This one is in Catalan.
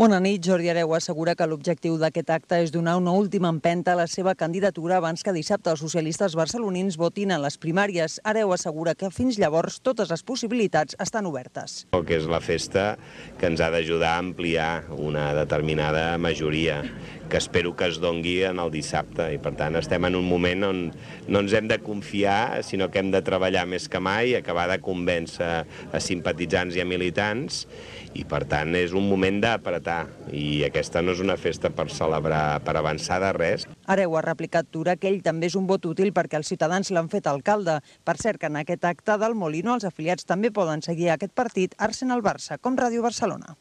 Bona nit. Jordi Hereu assegura que l'objectiu d'aquest acte és donar una última empenta a la seva candidatura abans que dissabte els socialistes barcelonins votin en les primàries. Hereu assegura que fins llavors totes les possibilitats estan obertes. Que és la festa que ens ha d'ajudar a ampliar una determinada majoria, que espero que es dongui en el dissabte. I per tant estem en un moment on no ens hem de confiar, sinó que hem de treballar més que mai, acabar de convèncer a simpatitzants i a militants, i per tant és un moment d'apretar, i aquesta no és una festa per celebrar, per avançar de res. Hereu ha replicat Tura que ell també és un vot útil perquè els ciutadans l'han fet alcalde. Per cert que en aquest acte del Molino els afiliats també poden seguir aquest partit Arsenal-Barça, com Ràdio Barcelona.